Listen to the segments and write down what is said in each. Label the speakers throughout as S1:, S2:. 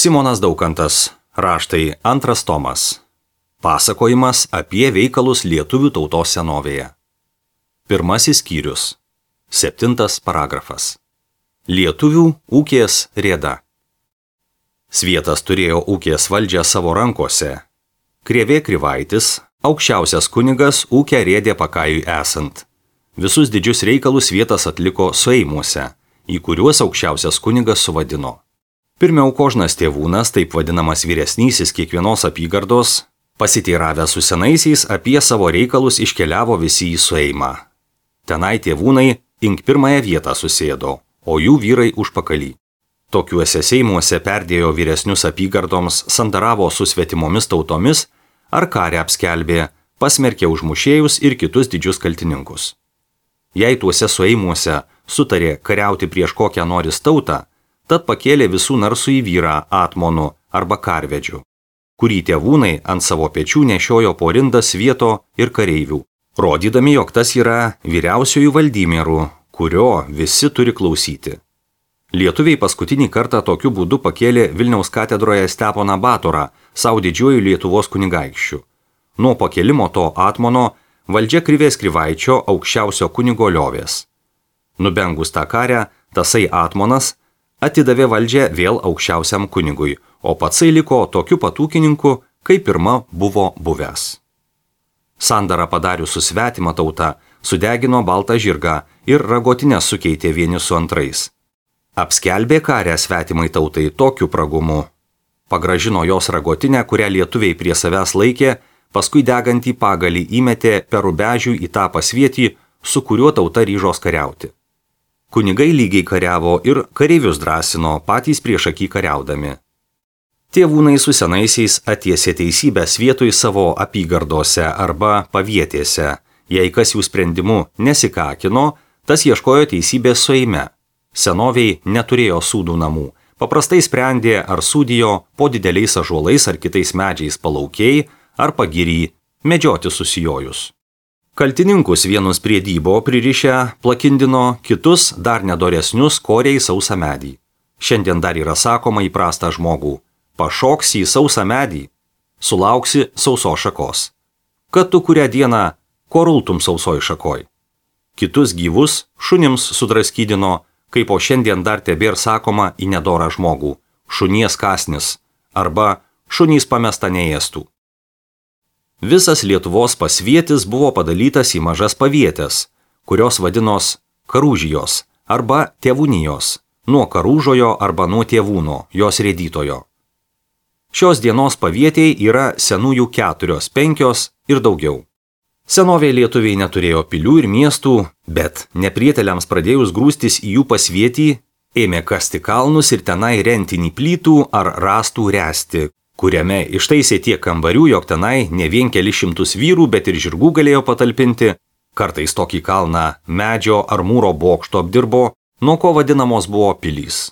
S1: Simonas Daukantas, raštai 2 tomas. Pasakojimas apie veikalus lietuvių tautos senovėje. 1 skyrius. 7 paragrafas. Lietuvių ūkės rėda. Svietas turėjo ūkės valdžią savo rankose. Krėvė Krivaitis, aukščiausias kunigas, ūkę rėdė Pakajui esant. Visus didžius reikalus Svietas atliko sueimuose, į kuriuos aukščiausias kunigas suvadino. Pirmiau Kožnas Tėvūnas, taip vadinamas vyresnysis kiekvienos apygardos, pasiteiravęs su senaisiais apie savo reikalus iškeliavo visi į sueimą. Tenai tėvūnai ink pirmąją vietą susėdo, o jų vyrai užpakalį. Tokiuose seimuose perdėjo vyresnius apygardoms, sandaravo su svetimomis tautomis ar karę apskelbė, pasmerkė užmušėjus ir kitus didžius kaltininkus. Jei tuose sueimuose sutarė kariauti prieš kokią noris tautą, tad pakėlė visų narsų į vyrą atmonų arba karvedžių, kurį tėvūnai ant savo pečių nešiojo po rindą svieto ir kareivių, rodydami, jog tas yra vyriausiųjų valdymierų, kurio visi turi klausyti. Lietuviai paskutinį kartą tokiu būdu pakėlė Vilniaus katedroje Steponą Batorą, savo didžiuoju Lietuvos kunigaikščiu. Nuo pakėlimo to atmono valdžia Krivės Krivaičio aukščiausio kunigo liovės. Nubengus tą karę, tasai atmonas atidavė valdžią vėl aukščiausiam kunigui, o patsai liko tokiu pat ūkininku, kaip pirma buvo buvęs. Sandarą padarius su svetima tauta, sudegino baltą žirgą ir ragotinę sukeitė vieni su antrais. Apskelbė karę svetimai tautai tokiu pragumu. Pagražino jos ragotinę, kurią lietuviai prie savęs laikė, paskui degantį pagalį įmetė per rubežių į tą pasvietį, su kuriuo tauta ryžos kariauti. Kunigai lygiai kariavo ir kareivius drąsino, patys priešaky kariaudami. Tėvūnai su senaisiais atiesė teisybę Svietui savo apygardose arba pavietėse. Jei kas jų sprendimu nesikakino, tas ieškojo teisybės sueime. Senoviai neturėjo sūdų namų. Paprastai sprendė ar sūdijo po dideliais ąžuolais ar kitais medžiais palaukiai ar pagiry medžioti susijojus. Kaltininkus vienus prie dybo pririšę plakindino, kitus dar nedoresnius korė į sausą medį. Šiandien dar yra sakoma įprastą žmogų: pašoksi į sausą medį, sulauksi sausos šakos. Kad tu kurią dieną korultum sausoj šakoj. Kitus gyvus šunims sudraskydino, kaip o šiandien dar tebėr sakoma į nedorą žmogų: šunies kąsnis arba šunys pamesta neėstų. Visas Lietuvos pasvietis buvo padalytas į mažas pavietės, kurios vadinos karūžijos arba tėvūnijos, nuo karūžojo arba nuo tėvūno, jos rėdytojo. Šios dienos pavietiai yra senųjų 4, 5 ir daugiau. Senovėje lietuviai neturėjo pilių ir miestų, bet neprieteliams pradėjus grūstis į jų pasvietį, ėmė kasti kalnus ir tenai rentinį plytų ar rąstų ręsti, kuriame ištaisė tiek kambarių, jog tenai ne vien keli šimtus vyrų, bet ir žirgų galėjo patalpinti, kartais tokį kalną medžio ar mūro bokšto apdirbo, nuo ko vadinamos buvo pilys.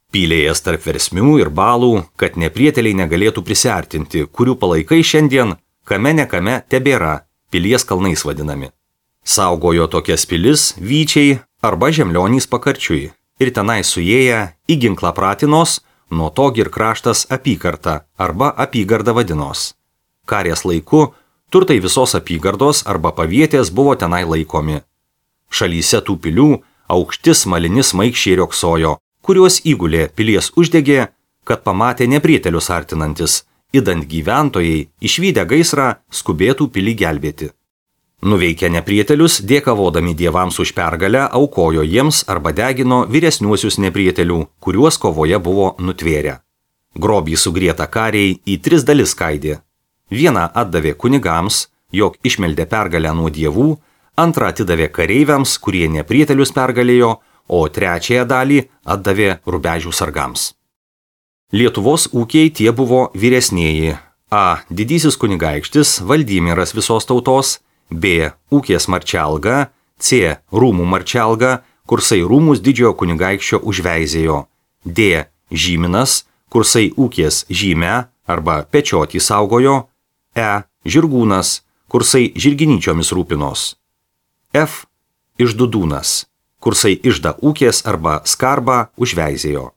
S1: Pylėjas tarp versmių ir balų, kad neprieteliai negalėtų prisiartinti, kurių palaikai šiandien kame nekame tebėra, pilies kalnais vadinami. Saugojo tokias pilis vyčiai arba žemlionys pakarčiui ir tenai suėję į ginklą pratinos, nuo to ir kraštas apygarda arba apygarda vadinos. Karės laiku turtai visos apygardos arba pavietės buvo tenai laikomi. Šalyse tų pilių aukšti smalini smaigščiai rioksojo, kuriuos įgulė pilies uždegė, kad pamatė neprietelius artinantis, idant gyventojai išvydę gaisrą skubėtų pilį gelbėti. Nuveikę neprietelius, dėkavodami dievams už pergalę, aukojo jiems arba degino vyresniuosius neprietelių, kuriuos kovoje buvo nutvėrę. Grobį sugrietą kariai į 3 dalis skaidė. Vieną atdavė kunigams, jog išmeldė pergalę nuo dievų, antrą atidavė kareiviams, kurie neprietelius pergalėjo, o trečiąją dalį atdavė rubežių sargams. Lietuvos ūkiai tie buvo vyresnieji: A. Didysis kunigaikštis, valdymieras visos tautos, B. Ūkės marčialga, C. Rūmų marčialga, kursai rūmus didžiojo kunigaikščio užveizėjo, D. Žyminas, kursai ūkės žymę arba pečiotį saugojo, E. Žirgūnas, kursai žirginyčiomis rūpinos, F. Išdudūnas, kursai ižda ūkės arba skarbą užveizėjo,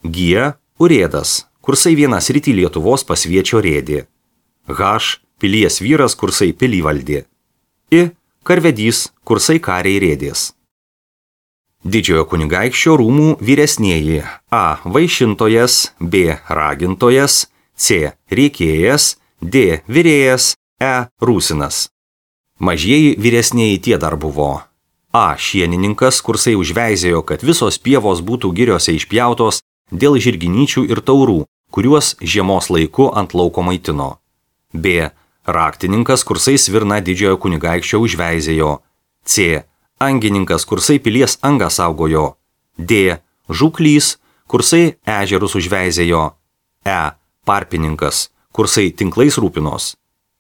S1: G. Urėdas, kursai vienas rytį Lietuvos pasviečio rėdė. H. Pilies vyras, kursai pilį valdė. I. Karvedys, kursai kariai rėdės. Didžiojo kunigaikščio rūmų vyresnieji A. Vaišintojas, B. Ragintojas, C. Riekėjas, D. Virėjas, E. Rūsinas. Mažieji vyresnieji tie dar buvo. A. Šienininkas, kursai užveizėjo, kad visos pievos būtų giriose išpjautos dėl žirginyčių ir taurų, kuriuos žiemos laiku ant lauko maitino. B. Raktininkas, kursai svirna didžiojo kunigaikščio užveizėjo. C. Angininkas, kursai pilies angą saugojo. D. Žuklys, kursai ežerus užveizėjo. E. Parpininkas, kursai tinklais rūpinos.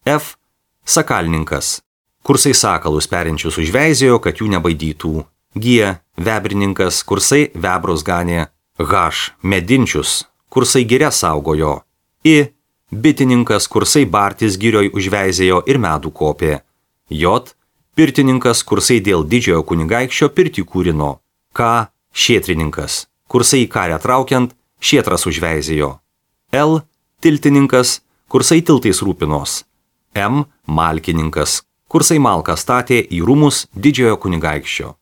S1: F. Sakalninkas, kursai sakalus perinčius užveizėjo, kad jų nebaidytų. G. Vebrininkas, kursai vebrus ganė. H. Medinčius, kursai giria saugojo. I. Bitininkas, kursai bartis girioj užveizėjo ir medų kopė. J. Pirtininkas, kursai dėl didžiojo kunigaikščio pirtį kūrino. K. Šėtrininkas, kursai į karę traukiant šėtras užveizėjo. L. Tiltininkas, kursai tiltais rūpinos. M. Malkininkas, kursai malką statė į rūmus didžiojo kunigaikščio.